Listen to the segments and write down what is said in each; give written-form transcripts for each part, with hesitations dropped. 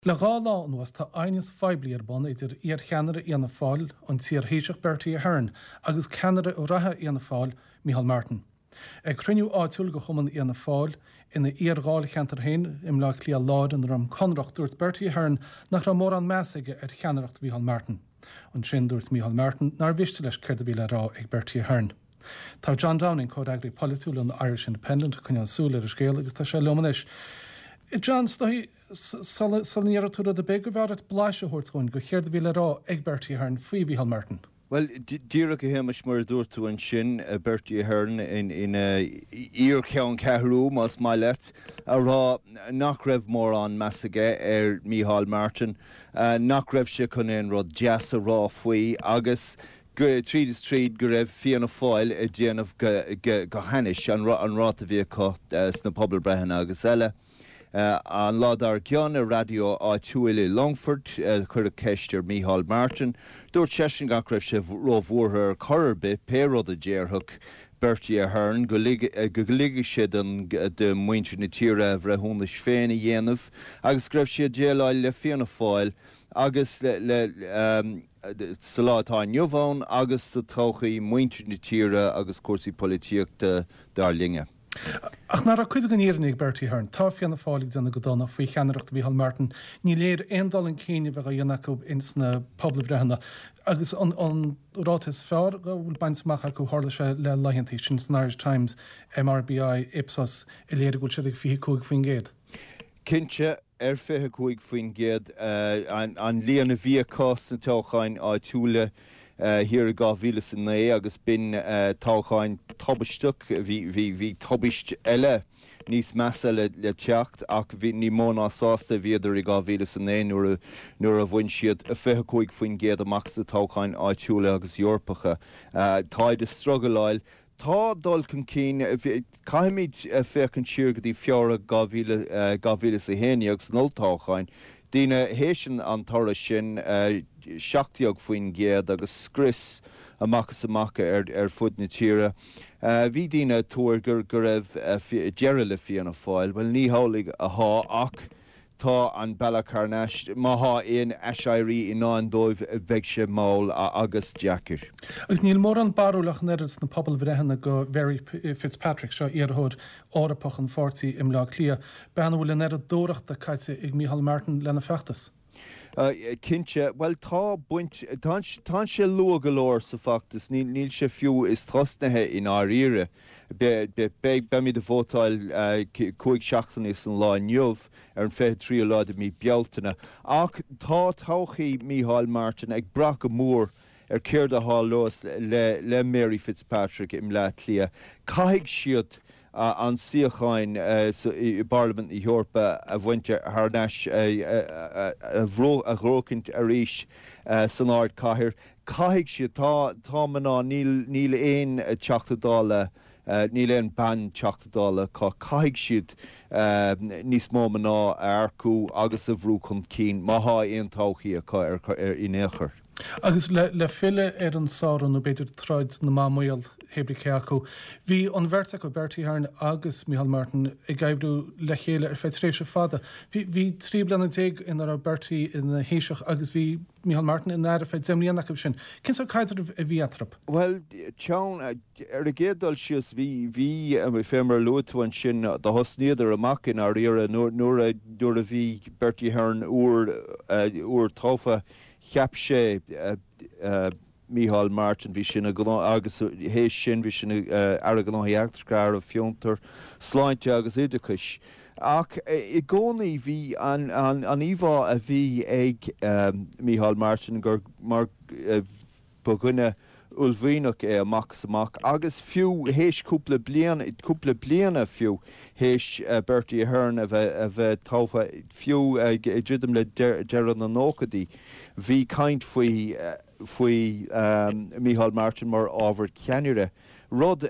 Le 2 lá anuas tá aighneas phoiblí ar bun idir iar-cheannaire Fhianna Fáil, an t-iar-Thaoiseach Bertie Ahern, agus ceannaire reatha Fhianna Fáil, Micheál Martin. Ag cruinniú áitiúil de Chumann Fhianna Fáil ina iar-dháilcheantar féin i mBleá Cliath Láir i nDroim Conrach, dúirt Bertie Ahern nach raibh mórán measa aige ar cheannaireacht Mhícheál Martin. Ansin dúirt Micheál Martin nár mhiste leis céard a bhí le rá ag Bertie Ahern. Tá John Downing, comhfhreagraí polaitiúil an Irish Independent, ag coinneáil súil ar an scéal agus tá sé liom anois. John, is dóigh, Sula ndéarfaidh tú rud ar bith, gurbh fhearr duit blaiseadh a thabhairt dhúinn de chéard a bhí le rá ag Bertie Ahern faoi Mhícheál Martin. Bhuel, díreach a Shéamais, mar a dúirt tú ansin, Bertie Ahern ina iar-cheanncheathrú, más maith leat, a rá nach raibh mórán meas aige ar Mhícheál Martin, nach raibh sé chun aon rud deas a rá faoi agus tríd is tríd go raibh Fianna Fáil ag déanamh go hainnis, an ráta a bhí acu sna pobalbhreitheanna agus eile. An lá dár gcionn, ar raidió áitiúil i Longfort, cuireadh ceist ar Mícheál Martin. Dúirt seisean nach raibh sé róbhuartha ar chor ar bith, pé rud a déarfadh Bertie Ahern, go ligfeadh sé do mhuintir na tíre a bhreithiúnais féin a dhéanamh agus go raibh sé ag déileáil le Fianna Fáil agus le sa lá atá inniu ann agus sa todhchaí, muintir na tíre agus cúrsaí polaitíochta dár linne. Ach nach raibh cuid den fhírinne ag Bertie Ahern? Tá Fianna Fáil ag déanamh go dona faoi cheannaireacht Mhícheál Martin. Ní léir aon dul chun cinn a bheith á dhéanamh acu ins na pobalbhreitheanna. Agus an ráta is fearr a bhfuil bainte amach acu, tharla sé le laethantaí, sin san Irish Times, MRBI, Ipsos, a léirigh go bhfuil siad ag 25%. Cinnte, ar 25% an líon a bhí acu sna toghcháin áitiúla thiar i 2009 agus b'in toghcháin tubaisteach. Bhí tubaist eile níos measa le teacht ach bhí ní mó ná sásta a bhíodar i 2009 nuair nuair a bhain siad 25% amach sna toghcháin áitiúla agus Eorpacha. Táid ag struggleáil Tá dul chun cinn. Caithfimid féachaint siar go dtí Feabhra 2011 sna olltoghcháin. Daoine théis an toradh sin, 17% agus scrios amach is amach ar fud na tíre. Bhí daoine ag tuar go raibh deireadh le Fianna Fáil. Bhuel, ní hamhlaidh athá ach Tá an bealach thar n-ais, má thá aon aiséirí i ndán dóibh, beidh sé mall agus deacair. Agus níl mórán barúil ach an oiread sna pobalbhreitheanna do Mhary Fitzpatrick, seo iarrthóir Eorpach an pháirtí i mBleá Cliath, bean a bhfuil an oiread dúthrachta caite ag Micheál Martin lena feachtas. Cinnte. Bhuel, tá baint, tá sé luath go leor sa bhfeachtas, níl sé fiú is tosnaithe i ndáiríre. Beimid ag vótáil 5 seachtainí san lá inniu, ar an 23ú lá de mhí Bealtaine. Ach tá todhchaí Mícheál Martin ag brath go mór ar céard a tharlós le Mary Fitzpatrick i mBleá Cliath. Caithfidh siad an suíocháin i bParlaimint na hEorpa a bhaint thar n-ais, a ghnóthachaint arís san ardchathair. Caithfidh siad. Tá, tá mná, níl, níl aon Teachta Dála, níl aon bean Teachta Dála acu. Caithfidh siad níos mó mná a earcú agus a bhrú chun cinn má thá aon todhchaí acu ar, ar, in aon chor. Agus le, le filleadh ar an sárú, nó b'fhéidir troid na mban maol, hé brí cé acu, bhí an bheirt acu, Bertie Ahern agus Micheál Martin, ag oibriú le chéile ar feadh tréimhse fada. Bhí, bhí 13 bliana ina raibh Bertie ina Thaoiseach agus bhí Micheál Martin ina aire feadh 10 mbliana acu sin. Cén sórt caidrimh a bhí eatarthu? Bhuel, teann, ar an gcéad dul síos, bhí, bhí, fé mar a luaigh tú ansin, do thosnaíodar amach i ndáiríre nuair, nuair a, nuair a bhí Bertie Ahern úr, úr tofa, cheap sé, Mícheál Martin, bhí sé ina ghnó agus théis sin bhí sé ina Aire Gnóthaí Eachtracha, Aire Fiontar, Sláinte agus Oideachais. Ach i gcónaí bhí an íomhá a bhí ag Mícheál Martin gur mar ba dhuine uaillmhianach é amach is amach agus fiú théis cúpla bliain, cúpla bliana fiú théis Bertie Ahern a bheith a bheith tofa, fiú ag druidim le deireadh na nóchaidí, bhí caint faoi faoi Mícheál Martin mar ábhar ceannaire. Rud,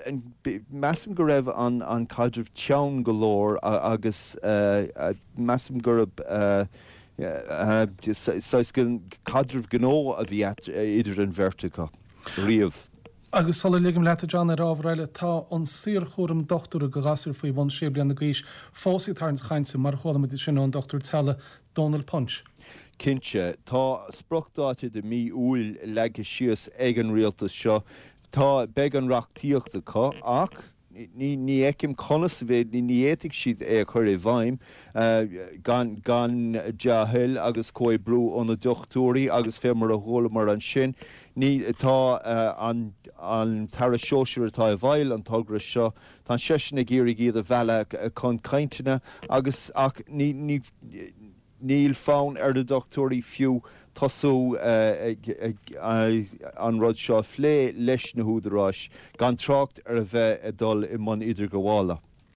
measaim go raibh an caidreamh teann go leor agus measaim gurb saghas caidreamh gnó a bhí idir an bheirt acu riamh. Agus sula ligim leat, a John, ar ábhar eile, tá an saorchúram dochtúra do ghasúir faoi bhun sé bliana d'aois fós ag tarraingt chainte, mar a chuala muid ansin ón Dr Teaghlaigh Dónal Punch. Cinnte, tá spriocdháta de mí Iúil leagtha síos ag an rialtas seo. Tá, beidh an reachtaíocht acu ach ní fheicim conas a bheidh, ní fhéadfaidh siad é a chur i bhfeidhm gan gan dea-thoil agus comhoibriú ó na dochtúirí agus fé mar a chualamar ansin, ní, tá an an tAire Sóisear atá i bhfeighil an togra seo, tá seisean ag iarraidh iad a mhealladh chun cainteanna agus ach ní, ní. Níl fonn ar na dochtúirí fiú tosú an rud seo a phlé leis na húdaráis, gan trácht ar a bheith ag dul i mbun idirghabhála.